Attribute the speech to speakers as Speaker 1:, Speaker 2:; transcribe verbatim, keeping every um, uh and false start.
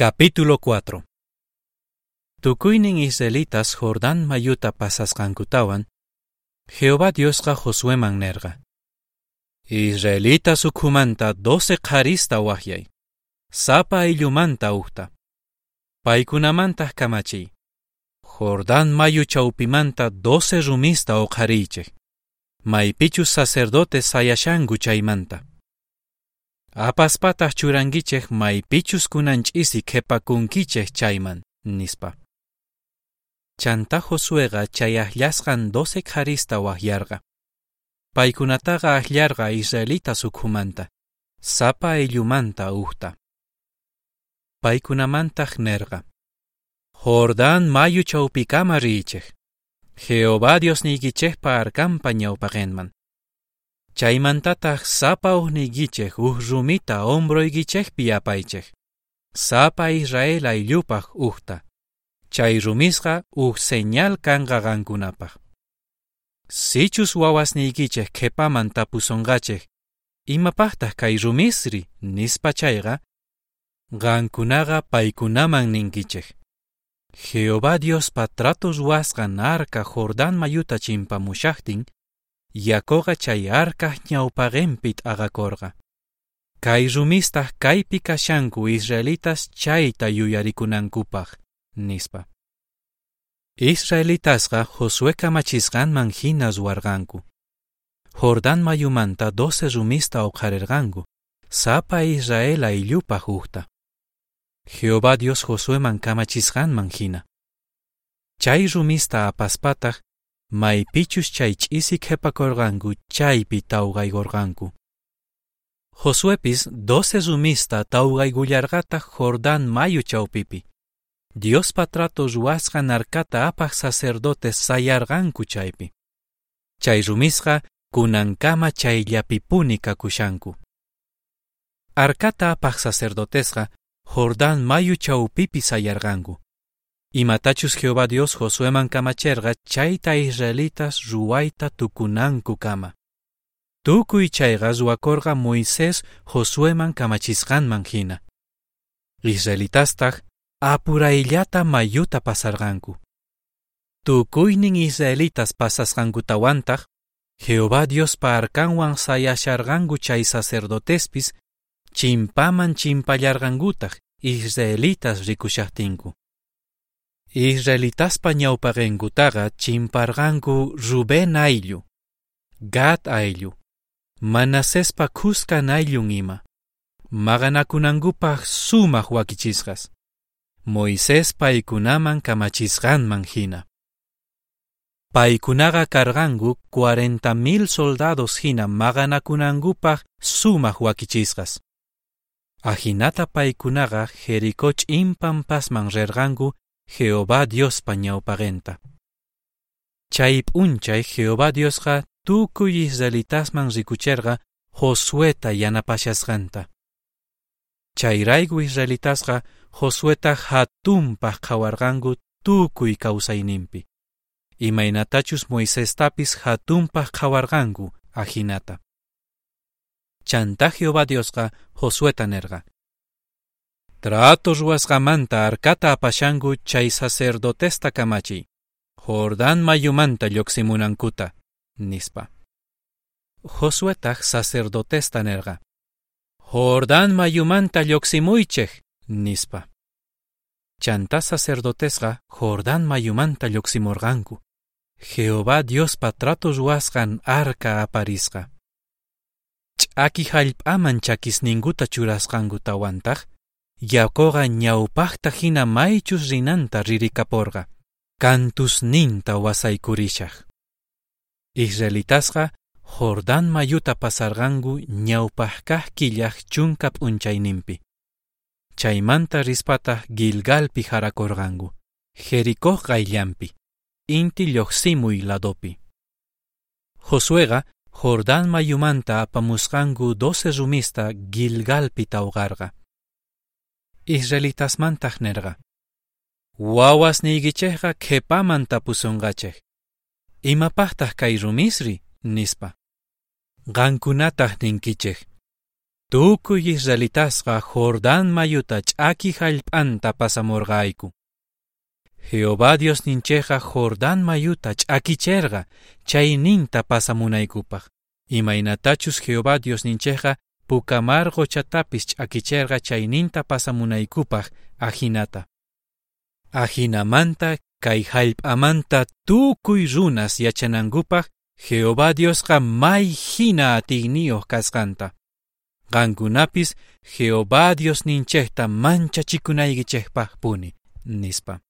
Speaker 1: Capítulo cuatro. Tukuynin israelitas Jordán mayuta pasasqankutawan, Jehová Diosqa Josueman nerqa: Israelitas ukhumanta doce qharista wajyay, sapa ayllumanta ujta. Paykunamantaj kamachiy: Jordán mayu chawpimanta doce rumista uqhariychej, maypichus sacerdotes sayashanku chaymanta. Apaspataj churankichej maypichus kunan ch'isi qhepakunkichej chayman, nispa. Chantá Josueqa chay ajllasqan doce qharista wajyarqa. Paykunataqa ajllarqa israelitas ukhumanta, sapa ayllumanta ujta. Paykunamantaj nerqa: Jordán mayu chawpikama riychej, Jehová Diosniykichejpa arkanpa ñawpaqenman. Chaymantataj sapa ujniykichej uj rumita hombroykichejpi apaychej, sapa Israel ayllupaj ujta. Chay rumisqa uj señal kanqa qankunapaj. Sichus wawasniykichej qhepaman tapusonqachej, imapajtaj kay rumisri, nispa chayqa, qankunaqa paykunaman ninkichej: Jehová Diospa trato ruwasqan arca Jordán mayuta chimpamushajtin, yakoqa chay arcaj ñawpaqenpi t'aqakorqa. Kay rumistaj kaypi kashanku israelitas chayta yuyarikunankupaj, nispa. Israelitasqa Josué kamachisqanman hina ruwarqanku. Jordán mayumanta doce rumista uqharerqanku, sapa Israel ayllupaj ujta. Jehová Dios Josueman kamachisqanman hina. Chay rumista apaspataj, maypichus chay ch'isi qhepakorqanku chaypi tawqaykorqanku. Josuepis doce rumista tawqaykullarqataj Jordán mayu chawpipi. Diospa trato ruwasqan arcata apaj sacerdotes sayarqanku chaypi. Chay rumisqa kunankama chayllapipuni kakushanku. Arcata apaj sacerdotesqa Jordán mayu chawpipi sayarqanku. Imatachus Jehová Dios Josueman kamacherqa chayta israelitas ruwayta tukunankukama. Tukuy chayqa ruwakorqa Moisés Josueman kamachisqanman hina. Israelitastaj apurayllata mayuta pasarqanku. Tukuynin israelitas pasasqankutawantaj, Jehová Diospa arkanwan sayasharqanku chay sacerdotespis chimpaman chimpallarqankutaj israelitas rikushajtinku. Israelitaspa ñawpaqenkutaqa chimparqanku Rubén ayllu, Gad ayllu, Manasespa khuskan ayllun ima, maqanakunankupaj sumaj wakichisqas, Moisés paykunaman kamachisqanman hina. Paykunaqa karqanku cuarenta mil soldados hina maqanakunankupaj sumaj wakichisqas. Ajinata paykunaqa Jericó ch'in pampasman rerqanku Jehová Diospa ñawpaqenta. Chay p'unchay Jehová Diosqa tukuy israelitasman rikucherqa Josueta yanapashasqanta. Chayrayku israelitasqa Josueta hatunpaj qhawarqanku tukuy kawsayninpi, imaynatachus Moisestapis hatunpaj qhawarqanku ajinata. Chantá Jehová Diosqa Josueta nerqa: Trato ruwasqamanta arcata apashanku chay sacerdotesta kamachiy, Jordán mayumanta lluqsimunankuta, nispa. Josuetaj sacerdotesta nerqa: Jordán mayumanta lluqsimuychej, nispa. Chantá sacerdotesqa Jordán mayumanta lluqsimurqanku, Jehová Diospa trato ruwasqan arca aparisqa. Ch'aki jallp'aman chakisninkuta churasqankutawantaj, yakoqa ñawpajta hina maychus rinanta ririkaporqa, kantusninta wasaykurishaj. Israelitasqa Jordán mayuta pasarqanku ñawpaj kaj killaj chunka p'unchayninpi. Chaymanta rispataj Gilgalpi jarakorqanku, Jericó qayllanpi, inti lluqsimuy ladopi. Josueqa Jordán mayumanta apamusqanku doce rumista Gilgalpi tawqarqa. Israelitasmantaj nerqa: Wawasniykichejqa qhepaman tapusonqachej, imapajtaj kay rumisri, nispa. Qankunataj ninkichej: Tukuy israelitasqa Jordán mayuta ch'aki jallp'anta pasamorqayku. Jehová Diosninchejqa Jordán mayuta ch'akicherqa chayninta pasamunaykupaj. Imaynatachus Jehová Diosninchejqa Puka Mar qochatapis ch'akicherqa chayninta pasamunaykupaj ajinata. Ajinamanta kay jallp'amanta tukuy runas yachanankupaj Jehová Diosqa may jina atiyniyoj kasqanta. Qankunapis Jehová Diosninchejta manchachikunaykichejpajpuni, nispa.